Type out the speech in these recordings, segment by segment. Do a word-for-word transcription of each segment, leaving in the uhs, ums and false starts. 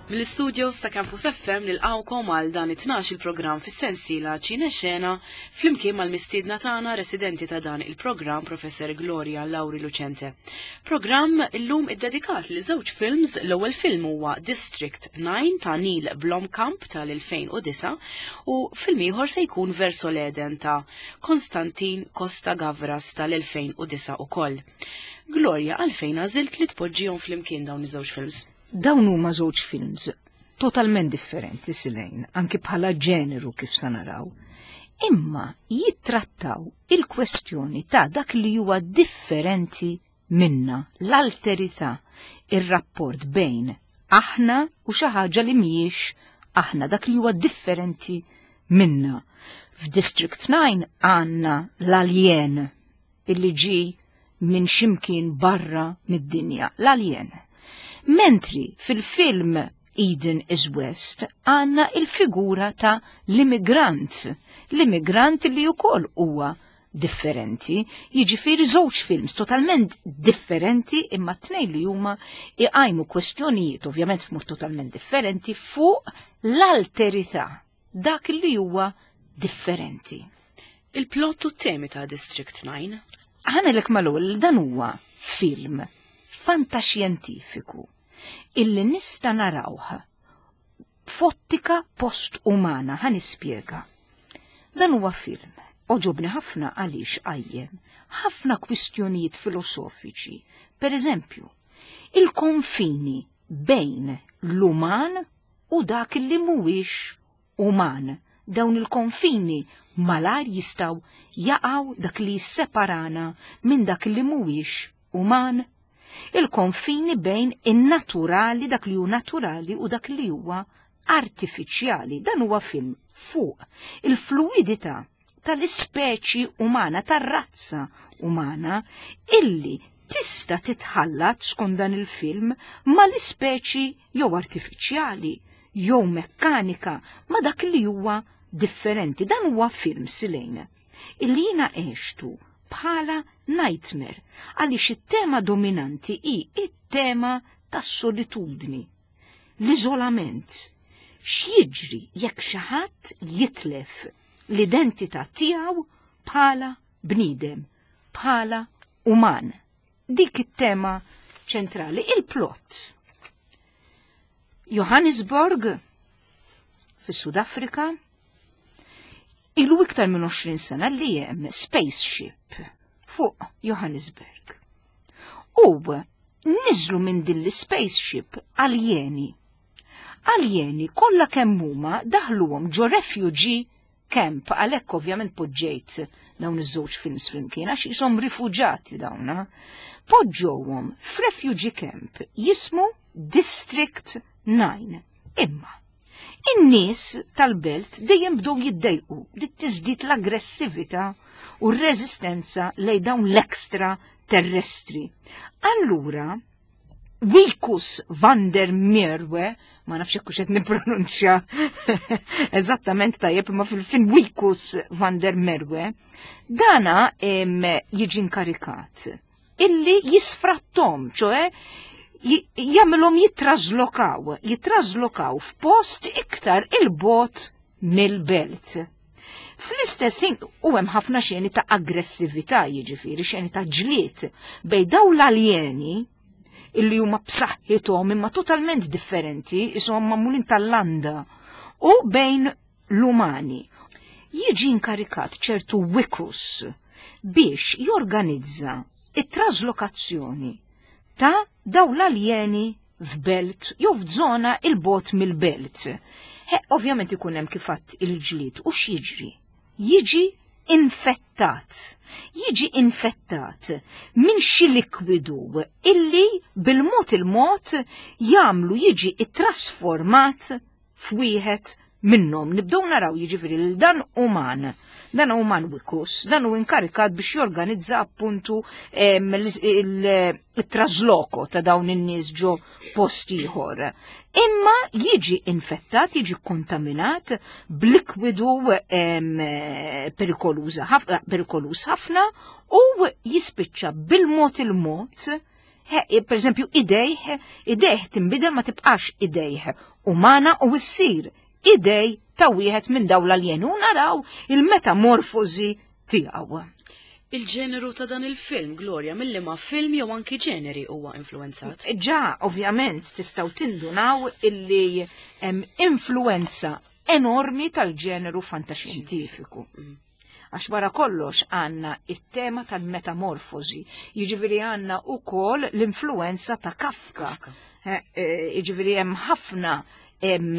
Mill-istudios ta' Campus F M nilqawkom għal dan it-tnax il-programm fis-sensiela Ċine Xena flimkien mal-mistiedna tagħna residenti ta' dan il-programm, Professor Gloria Lauri Lucente. Programm illum iddedikat li żewġ films. L-ewwel film huwa District nine ta' Neil Blomkamp tal-elfejn u disgħa u film ieħor se jkun Verso l-Eden ta' Konstantin Costa Gavras tal-elfejn u disgħa ukoll. Gloria, għalfejn għażilt li tpoġġihom flimkien dawn iż-żewġ films? Dawn huma żewġ films totalment differenti, Silejn, anki bħala ġeneru kif sa naraw. Imma jittrattaw il-kwestjoni ta' dak li huwa differenti minna, l-alterità, ir-rapport bejn aħna u xi ħaġa li mhijiex aħna, dak li huwa differenti minna. F'District nine għandna l-alien illi ġi minn ximkien barra mid-dinja, l-alien. Mentri fil-film Eden is West għandna il-figura ta' l-immigrant, l-immigrant li wkoll huwa differenti, jiġifieri żewġ films totalment differenti, imma t-tnejn li huma iqajmu kwestjonijiet, ovvjament f'mod totalment differenti, fuq l-alterità, dak li huwa differenti. Il-plot u temi ta' District nine? Ħa ngħidlek mal-ewwel, dan huwa film fantaxjentifiku illi nista' narawh f'ottika post-umana. Ħa nispjega. Dan huwa film għoġobni ħafna għaliex qajjem ħafna kwistjonijiet filosofiċi. Per eżempju, il-konfini bejn l-uman u dak li mhuwiex uman. Dawn il-konfini malajr jistgħu jaqgħu, dak li jisseparana minn dak li mhuwiex uman. Il-konfini bejn in-naturali, dak li hu naturali, u dak li huwa artifiċjali. Dan huwa film fuq il-fluidità tal-ispeċi umana, tar-razza umana, illi tista' titħallat skont dan il-film mal-ispeċi jew artifiċjali jew mekkanika, ma dak li huwa differenti. Dan huwa film, Silejn, illi jiena għextu bħala nightmare għaliex it-tema dominanti hi it-tema tas-solitudni, l-iżolament. X'jiġri jekk xi ħadd jitlef l-identità tiegħu bħala bniedem, bħala uman? Dik it-tema ċentrali, il-plot. Johannesburg, fis-Sud Afrika, ilu iktar minn għoxrin sena li hemm spaceship fuq Johannesburg. U niżlu minn din l-spaceship aljeni. Aljeni kollha kemm huma daħluhom ġo refugee camp, għalhekk ovvjament poġġejt dawn iż-żewġ films flimkien għax jisom rifuġati dawna. Poġġowhom f'refugee camp jismu District nine. Imma in-nies tal-belt dejjem bdew jiddejqu li tiżdied l-aggressività u r-reżistenza lejn dawn l-extra terrestri. Allura, Wikus van der Merwe, ma nafx hekk qed nippronunċja eżattament tajjeb, imma fil-film Wikus van der Merwe, dana jiġi inkarikat illi jisfrattom, ċoè jagħmilhom jitrażlokaw, jitrażlokaw f'post iktar il-bogħod mill-belt. Fl-istess ħin u hemm ħafna xeni ta' aggressività, jiġifieri xeni ta' ġlied bejn dawn l-aljeni illi huma b'saħħithom imma totalment differenti, ishom magħmulin tal-landa, u bejn l-umani. Jiġi inkarikat ċertu Wikus biex jorganizza it-traslokazzjoni ta' daw l-aljeni f'belt jew f'żona il-bogħod mill-belt. He, ovvjament ikun hemm kif għedt il-ġlied u x'jiġri? Jiġi infettat. Jiġi infettat minn xi likwidu illi bil-mod il-mod jagħmlu jiġi ittrasformat f'wieħed minnhom. Nibdew naraw jiġifieri lil dan uman, dan uman Wikus, dan hu inkarikat biex jorganizza appuntu il-trasloko ta' dawn in-nies ġo post ieħor. Imma jiġi infettat, jiġi kontaminat b'likwidu perikoluż ħafna u jispiċċa bil-mod il-mod. Per eżempju, idejh, idejh timbidel, ma tibqax idejh umana u ssir idej ta' wieħed minn dawn l-aljeni u naraw il-metamorfosi tiegħu. Il-ġeneru ta' dan il-film, Gloria, mill ma film jew anki ġeneri huwa influenzat? Ġa, ovvjament, tistgħu tindunaw illi hemm influenza enormi tal-ġeneru fantaxjentifiku. Għax wara kollox għandna it-tema tal-metamorfosi, jiġifieri għandna wkoll l-influenza ta' Kafka. Kafka. Jiġifieri hemm ħafna hemm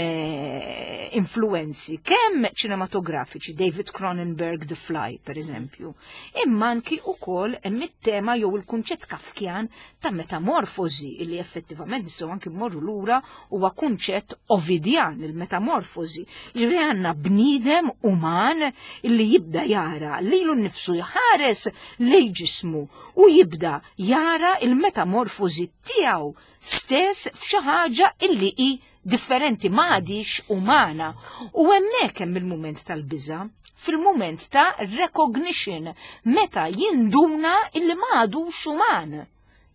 influenzi kemm ċinematografiċi, David Cronenberg, The Fly, per eżempju, imma anki wkoll hemm it-tema jew il-kunċett kafkjan ta' metamorfosi illi effettivament nistgħu anki mmorru lura huwa kunċett ovidjan, il-metamorfosi, li għandna bniedem uman illi jibda jara lilu nnifsu, jħares lejn ġismu u jibda jara il-metamorfosi tiegħu stess f'xi ħaġa illi hi differenti, ma għadix umana. U hemmhekk hemm il-mument tal-biża', fil-mument ta' recognition, meta jinduna illi ma għadux uman.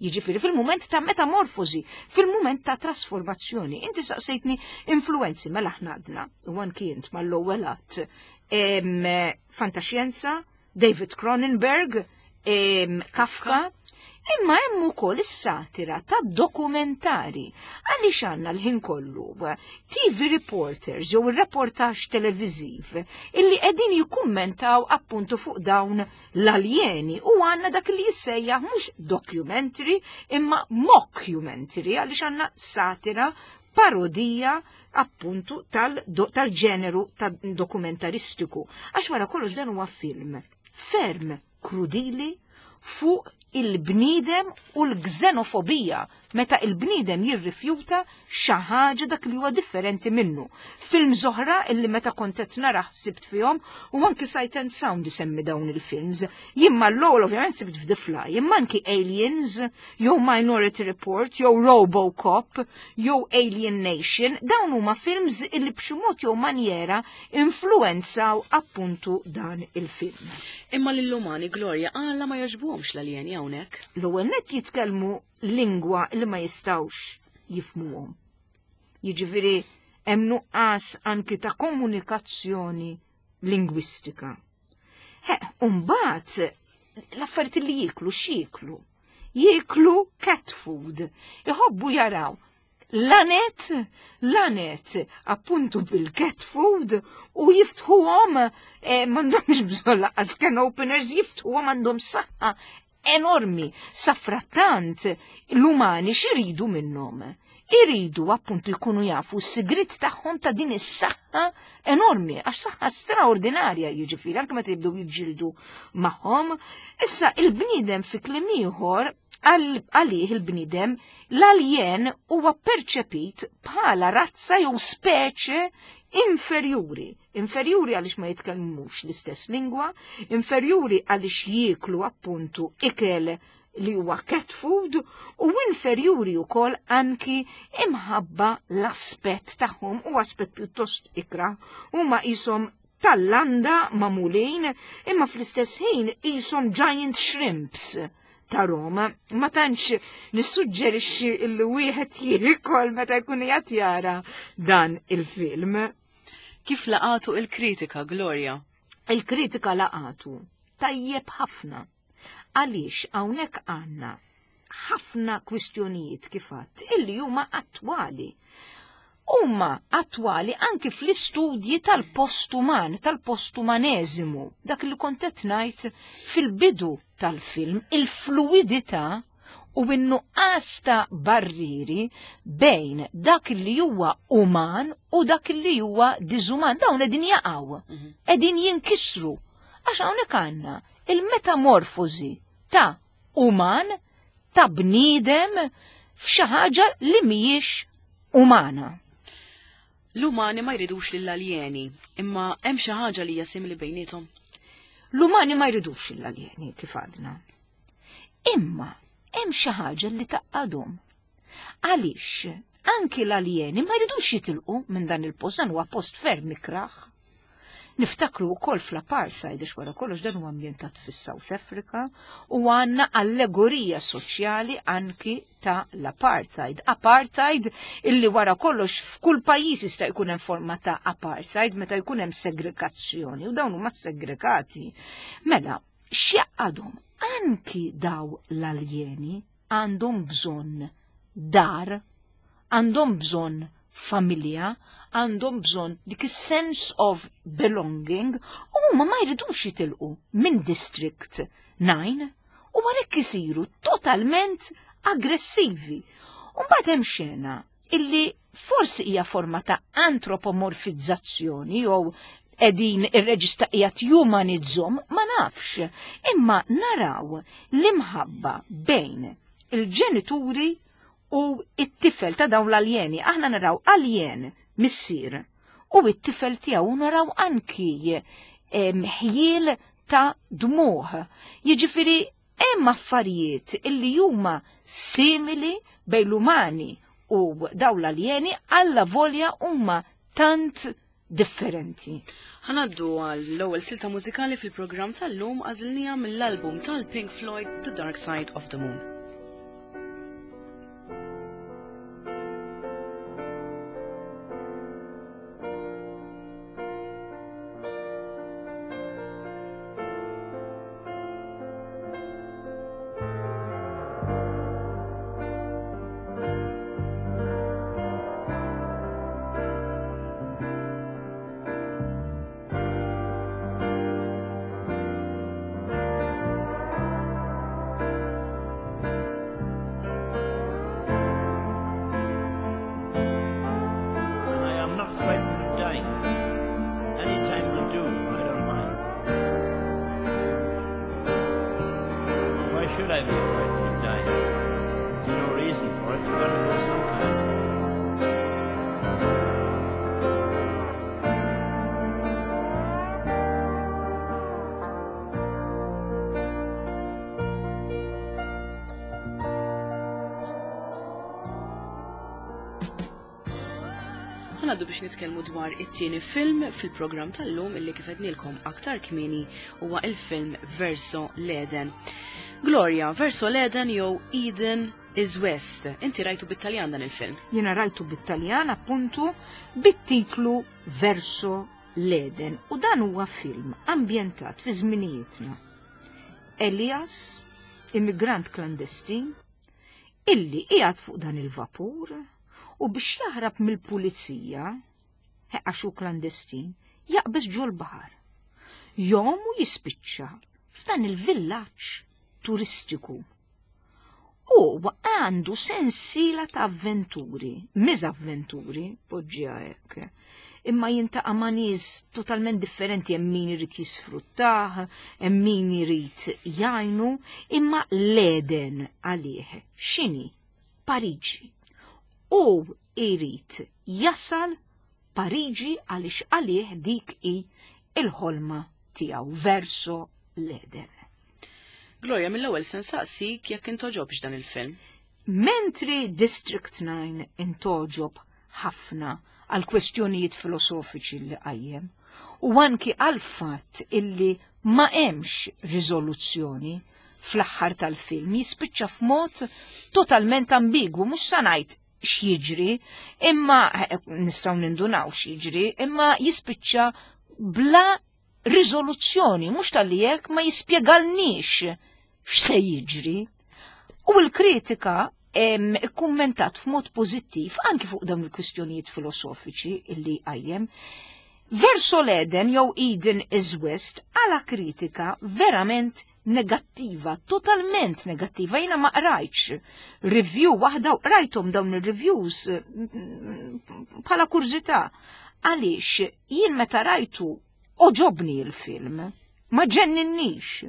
Jiġifieri fil-mument ta' metamorfosi, fil-mument ta' trasformazzjoni. Inti saqsejtni influenzi, mela aħna għadna, u anki int mal-ewwel att, fantaxjenza, David Cronenberg, em, Kafka, imma hemm ukoll is-satira ta' dokumentari. Għaliex għandna l-ħin kollu T V reporters jew ir-reportaġġ televiżiv illi qegħdin jikkummentaw appuntu fuq dawn l-aljeni u għandna dak li jissejjaħ mhux documentary imma mockumentary, għaliex għandna satira, parodija appuntu tal-ġeneru tal dokumentaristiku. Għax wara kollox dan huwa film ferm krudili fuq il-bniedem u l-gżenofobija, meta il-bniedem jirrifjuta xi ħaġa, dak li huwa differenti minnu. Film oħra illi meta kont qed nara sibt fihom, u anki Sight and Sound isemmi dawn il-films. Jimma l-ewwel ovvjament sibt f'The Fly, imma anki Aliens, jew Minority Report, jew Robocop, jew Alien Nation, dawn huma films illi b'xi mod jew manjera influenzaw appuntu dan il-film. Imma lill-umani, Gloria, għala ma jogħġbuhomx l-aljeni hawnhekk? L-ewwel net jitkellmu lingwa li ma jistawx jifmuhom. Jiġifieri hemm nuqqas anki ta' komunikazzjoni lingwistika. He, mbagħad l-affarijiet li jieklu, x'jieklu? Jieklu cat food. Iħobbu jaraw lanet, lanet, appuntu bil-cat food u jiftħuhom, eh, m'għandhomx bżonn lanqas can openers, jiftħuhom, għandhom saħħa enormi. Safrattant, l-umani x'iridu minnhom? Iridu appuntu jkunu jafu s-sigrit tagħhom ta' din is-saħħa enormi, għax saħħa straordinarja, jiġifieri anke meta jibdew jiġġieldu magħhom. Issa il-bniedem, fi kliem ieħor, għalih il-bniedem l-aljen huwa perċepit bħala razza jew speċe inferjuri. Inferjuri għaliex ma jitkellmux l-istess lingwa, inferjuri għaliex jieklu appuntu ikel li huwa cat food u inferjuri wkoll anki imħabba l-aspett tagħhom u aspett pjuttost ikra, huma qishom tal-landa magħmulin imma fl-istess ħin qishom giant shrimps ta' Roma. Ma tantx nissuġġerixxi li wieħed jiekol meta jkun qed jara dan il-film. Kif laqatu il-kritika, Gloria? Il-kritika laqatu tajjeb ħafna. Għaliex hawnhekk għandna ħafna kwistjonijiet kif għedt illi huma attwali. Huma attwali anki fl-istudji tal-postuman, tal-postumaneżimu, dak li kont qed ngħid fil-bidu tal-film, il-fluidità u n-nuqqas ta' barriri bejn dak li huwa uman u dak li huwa diżuman. Dawn qegħdin jaqgħu, qegħdin jinkisru. Għax hawnhekk għandna il-metamorfosi ta' uman, ta' bniedem f'xi ħaġa li mhijiex umana. L-umani ma jridux lill-aljeni, imma hemm xi ħaġa li hija simili bejniethom. L-umani ma jridux lill-aljeni, kif għadna. Imma hemm xi ħaġa li tgħaqqadhom. Għaliex anki l-aljeni ma jridux jitilqu minn dan il-post, dan huwa post ferm ikraħ. Niftakru wkoll fl-apartheid, għax wara kollox dan huwa ambjentat fis-South Africa u għandna allegorija soċjali anki ta' l-apartheid. Apartheid illi wara kollox f'kull pajjiż jista' jkun hemm forma ta' apartheid meta jkun hemm segregazzjoni u dawn huma segregati. Mela, x'jaqadhom anki daw l-aljeni għandhom bżonn dar, għandhom bżonn familja, għandhom bżonn dik is-sense of belonging u huma ma jridux jitilqu minn District nine u għalhekk isiru totalment aggressivi. U mbagħad hemm xena illi forsi hija forma ta' antropomorfizzazzjoni jew qegħdin ir-reġista qiegħed jumanizzhom, ma nafx, imma naraw l-imħabba bejn il-ġenituri u it-tifel ta' dawn l-aljeni. Aħna naraw aljen missier u it-tifel tiegħu, naraw anki ħjiel ta' dmuħ. Jiġifieri hemm affarijiet illi huma simili bejn l-umani u dawn l-aljeni, alla volja huma tant differenti. Ħanaddu għall-ewwel silta mużikali fil-programm tal-lum, għażilniha mill-album tal-Pink Floyd The Dark Side of the Moon. Should I be frightened of dying? There's no reason for it. You've got to go sometime. Ħanaddu biex nitkellmu dwar it-tieni film fil-programm tal-lum illi kif għednilkom aktar kmieni huwa il-film Verso l-Eden. Gloria, Verso l-Eden jew Eden is West. Inti rajtu bit-Taljan dan il-film? Jiena rajtu bit-Taljan, appuntu, bit-titlu Verso l-Eden. U dan huwa film ambjentat fi żminijietna. Elias, immigrant klandestin, illi qiegħed fuq dan il-vapur u biex jaħrab mill-pulizija, għax hu klandestin, jaqbeż ġol-baħar. Jom u jispiċċa f'dan il-villaġġ turistiku. U għandu sensiela ta' avventuri, miżavventuri, poġġiha hekk. Imma jintaqa' ma' nies totalment differenti, hemm min irid jisfruttah, hemm min irid jgħinu, imma l-Eden għalih x'inhi? Pariġi. U irid jasal Pariġi għaliex għalih dik hi il-ħolma tiegħu, verso l-Eden. Gloria, mill-ewwel se nsaqsik jekk intoġobx dan il-film. Mentri District nine intoġob ħafna għal kwestjonijiet filosofiċi li qajjem u anki għal fatt illi ma hemmx riżoluzzjoni fl-aħħar tal-film, jispiċċa f'mod totalment ambigwu, mhux sa ngħid x'jiġri, imma nistgħu nindunaw x'jiġri, imma jispiċċa bla riżoluzzjoni, mhux tal-li hekk ma jispjegalniex x'se jiġri. U l-kritika ikkummentat f'mod pożittiv anki fuq dawn il-kwistjonijiet filosofiċi illi qajjem. Verso l-Eden jew Eden is West għala kritika verament negattiva, totalment negattiva. Jiena ma qrajtx review waħda u qrajthom dawn ir-reviews bħala kurżità. Għaliex jien meta rajtu oġobni l-film, ma ġenninnix.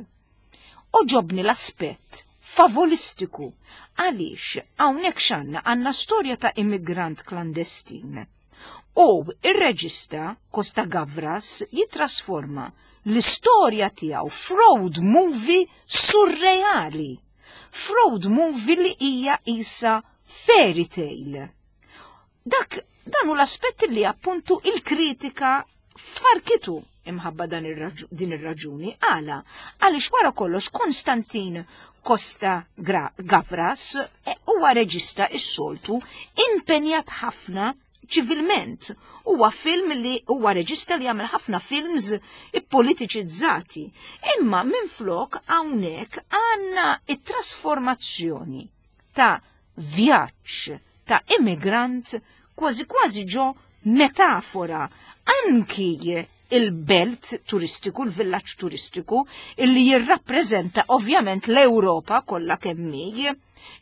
Oġobni l-aspett favolistiku. Għaliex hawnhekk x'għandna? Għandna storja ta' immigrant klandestin. U ir-reġista Costa Gavras jitrasforma l-istorja tiegħu f'road movie surreali. F'road movie li hija isa fairy tale. Dak dan hu l-aspett li appuntu il-kritika farkitu. imħabba dan din ir-raġuni. Għala, għaliex wara kollox Konstantin Costa Gavras huwa reġista is-soltu impenjat ħafna ċivilment. Huwa film li huwa reġista li jagħmel ħafna films ippolitiċizzati. Imma minflok hawnhekk għandna it-trasformazzjoni ta' vjaġġ ta' immigrant kważi kważi ġo metafora anki il-belt turistiku, il-villaġġ turistiku, illi jirrappreżenta ovvjament l-Ewropa kollha kemm hi,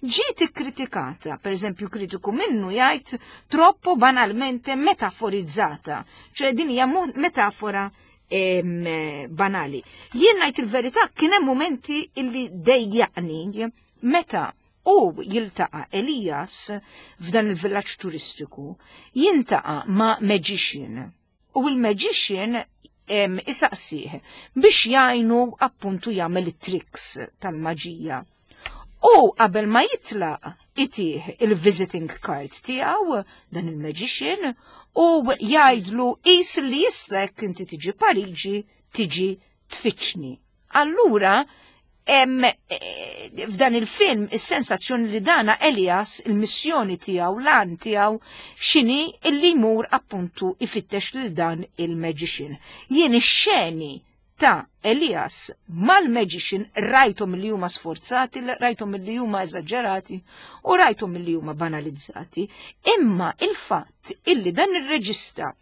ġiet ikkritikata, per eżempju kritiku minnu jgħid troppo banalmente metaforizzata, ċoè din hija metafora em, banali. Jien ngħid il-verità kien hemm momenti illi dejjaqni meta u jiltaqa' Elias f'dan il-villaġġ turistiku, jintaqa' ma' magician. U il-magician isaqsih biex jgħinu appuntu jagħmel it-tricks tal-maġija. U qabel ma jitlaq itih il-visiting card tiegħu dan il-magician u jgħidlu qis li issa jekk inti tiġi Pariġi tiġi tfittxni. Allura em, f'dan il-film is-sensazzjoni li dana Elias il-missjoni tiegħu lan tiegħu x'inhi illi jmur appuntu ifittex lil dan il-magician. Jien ix-xeni ta' Elias mal-magician rajthom li huma sforzati, rajthom li huma eżaġerati u rajthom li huma banalizzati. Imma il-fatt illi dan ir-reġista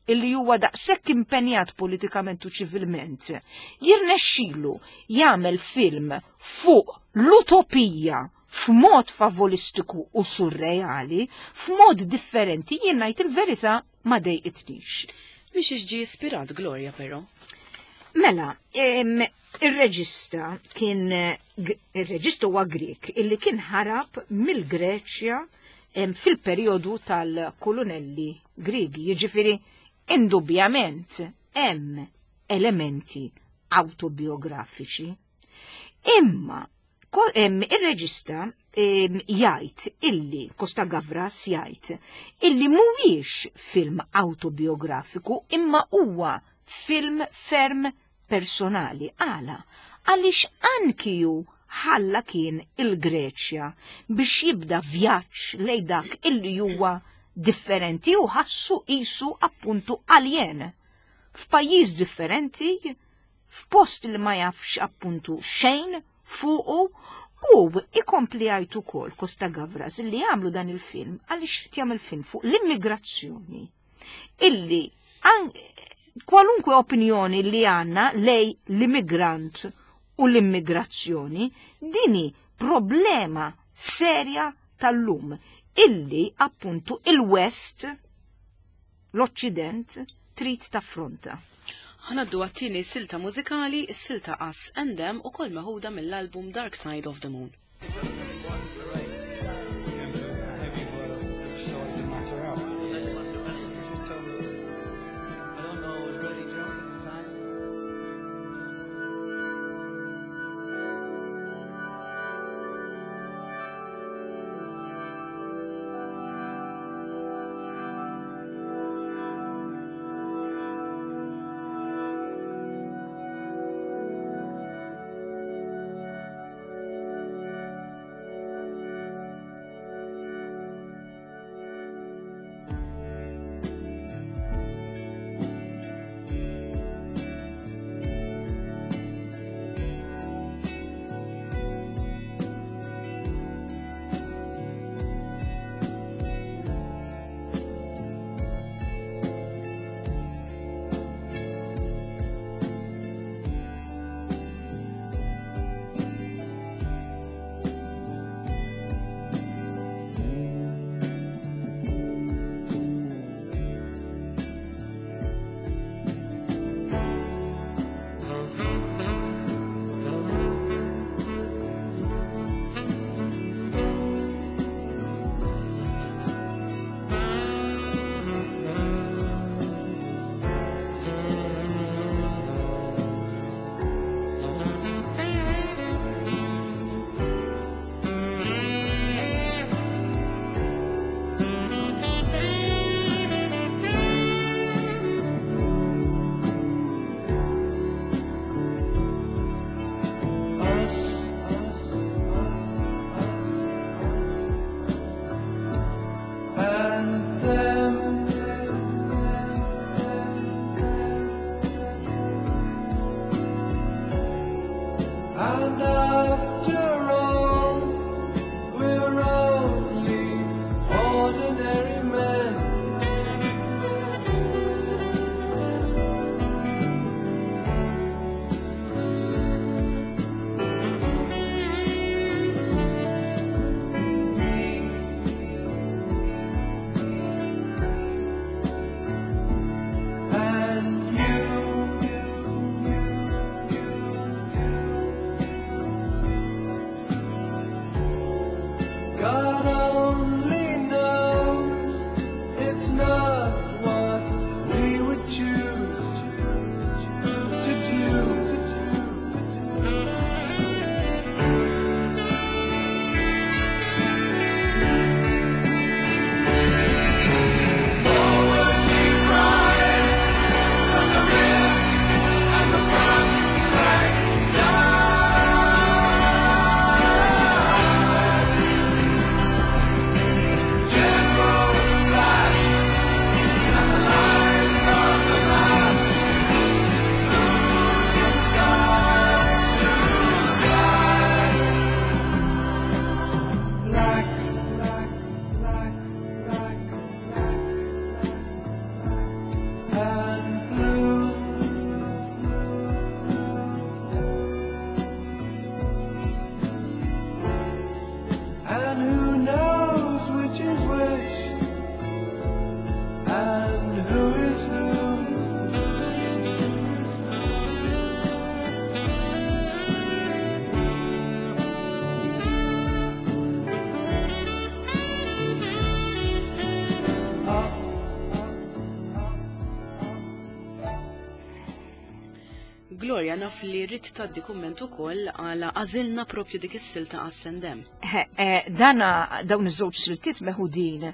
illi huwa daqshekk impenjat politikament u ċivilment, jirnexxilu jagħmel film fuq l-utopija f'mod favolistiku u surreali, f'mod differenti, jien ngħid il-verità ma dejqitnix. Biex ġie ispirat Gloria però? Mela, ir-reġista kien ir-reġista huwa Grek illi kien ħarab mill-Greċja fil-perjodu tal-kolonelli Griegi, jiġifieri indubjament hemm elementi autobiografiċi. Imma ir-reġista jgħid illi Costa Gavras jgħid illi mhuwiex film autobiografiku imma huwa film ferm personali. Għala, għaliex anki hu ħalla kien il-Greċja biex jibda vjaġġ lejn dak illi huwa differenti u ħassu qisu appuntu alien f'pajjiż differenti, f'post li ma jafx appuntu xejn fuqu, u ikompli jgħid ukoll Costa Gavras li jagħmlu dan il-film għaliex jagħmel film fuq l-immigrazzjoni illi kwalunkwe opinjoni li għandna lej l-immigrant u l-immigrazzjoni dini problema serja tal-lum illi appuntu il-West, l-Occident, trid taffronta. Ħa ngħaddu għat-tieni silta mużikali, is-silta Us and Them u kol meħuda mill-album Dark Side of the Moon. I don't know, I was really drunk at the time. And after all, we're only ordinary men. Me and you. God only knows it's not what we would choose to do. Forward you ride from the rear and the front, back down. General sat and the lines on the map move from side to side. Black, black, black, black, black, and blue. And who knows which is which, and who is who? Up, Gloria, naf li rrid tgħaddi kumment ukoll għala għażilna propju dik is-silta għas-sendem. Eh, Dana dawn iż-żewġ siltiet meħudin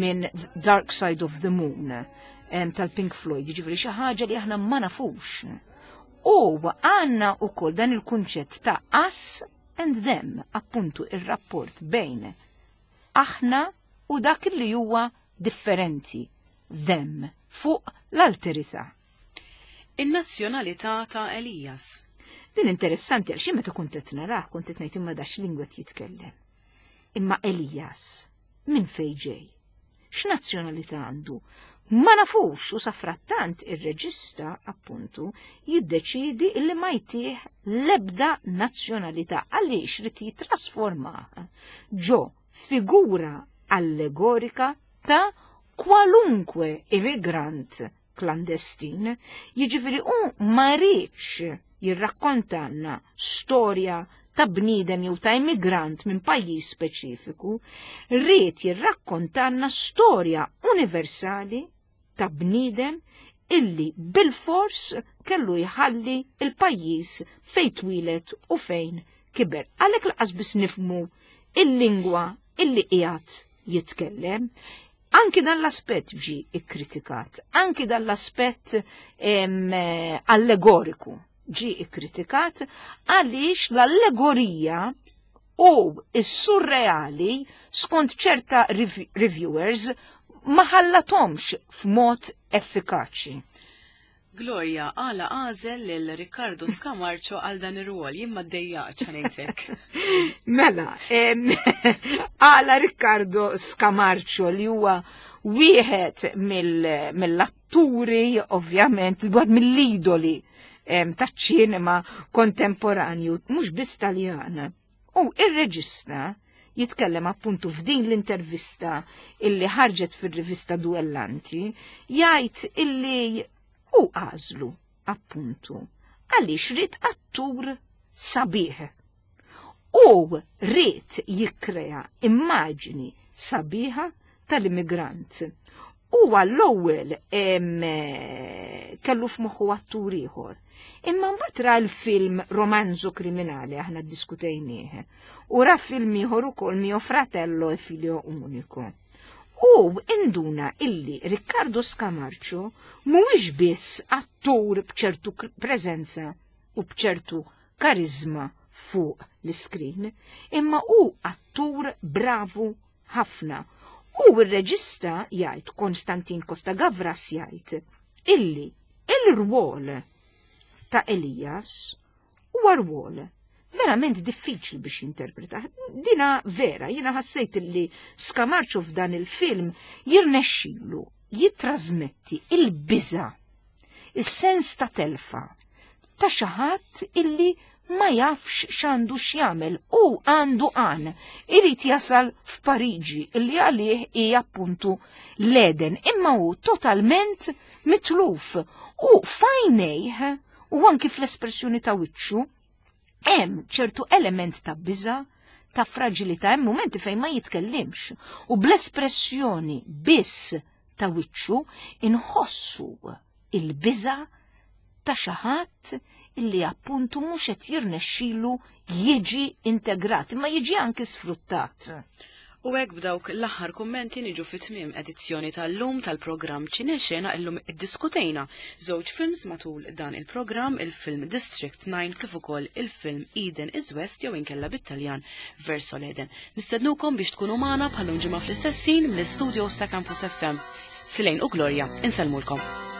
minn Dark Side of the Moon em, tal-Pink Floyd, jiġifieri xi ħaġa li aħna ma nafux. U għandna wkoll dan il-kunċett ta' us and them, appuntu ir-rapport bejn aħna u dak li huwa differenti, them, fuq l-alterità. In-nazzjonalità ta' Elias. Din interessanti għax jien meta kont qed narah kont qed ngħid imma dax lingwa qed jitkellem. Imma Elias, minn fejn ġej? X'nazzjonalità għandu? Ma nafux u safrattant ir-reġista appuntu jiddeċidi illi ma jtih l-ebda nazzjonalità għaliex rid jitrasformah ġo figura allegorika ta' kwalunkwe immigrant klandestin, jiġifieri u ma rridx jirrakkontanna storja ta' bniedem jew ta' immigrant minn pajjiż speċifiku, ried jirrakkontanna storja universali ta' bniedem illi bil-fors kellu jħalli il-pajjiż fejn twieled u fejn kiber. Għalhekk lanqas biss nifhmu il-lingwa illi qiegħed jitkellem. Anki dan l-aspett ġi ikkritikat, anki dan l-aspett em, allegoriku ġi ikkritikat għaliex l-allegorija u s-surreali skont ċerta rev- reviewers ma ħallatomx f'mod effikaċi. Gloria, għala għażel lil Riccardo Scamarcio għal dan ir-rwol, jien ma ddejjaqx ħanejtek. Mela, em, għala Riccardo Scamarcio li huwa wieħed mill- mill-atturi, ovvjament, wieħed mill-idoli em, taċ-ċinema kontemporanju, mhux biss Taljan. U ir-reġista jitkellem appuntu f'din l-intervista illi ħarġet fir-rivista Duellanti, jgħid illi u għażlu appuntu għaliex ried attur sabiħ. U ried jikkrea immaġni sabiħa tal-immigrant. U għall-ewwel em, kellu f'moħħu attur ieħor. Imma mbagħad ra l-film Romanzo Criminale aħna ddiskutejnieh. U ra film ieħor ukoll Mio Fratello e Figlio Unico. U induna illi Riccardo Scamarcio mhuwiex biss attur b'ċertu preżenza u b'ċertu karizma fuq l-iskrin, imma hu attur bravu ħafna. U r-reġista jgħid, Konstantin Costa Gavras jgħid, illi il-rwol ta' Elias huwa rwol Verament diffiċli biex jinterpreta. Dina vera, jiena ħassejt li Scamarcio f'dan il-film jirnexxilu jitrasmetti il-biża, is-sens ta' telfa, ta' xi ħadd illi ma jafx x'għandu x'jagħmel u għandu għan irid jasal f'Pariġi illi għalih hija appuntu l-Eden, imma hu totalment mitluf u f'għajnejh u anki fl-espressjoni ta' wiċċu hemm ċertu element ta' biża, ta' fragilità, hemm momenti fejn ma jitkellimx u bl-espressjoni biss ta' wiċċu inħossu il-biża ta' xi ħadd illi appuntu mhux qed jirnexxilu jiġi integrat, imma jiġi anki sfruttat. U hekk b'dawk l-aħħar kummenti niġu fi tmiem edizzjoni tal-lum tal-programm Ċinexena. Illum iddiskutejna żewġ films matul dan il-programm, il-film District nine kif ukoll il-film Eden is West jew inkella bit-Taljan Verso l'Eden. Nistednukom biex tkunu magħna bħal ġimgħa fl-istess ħin mill-istudio ta' Campus F M. Silejn u Gloria, insellmulkom.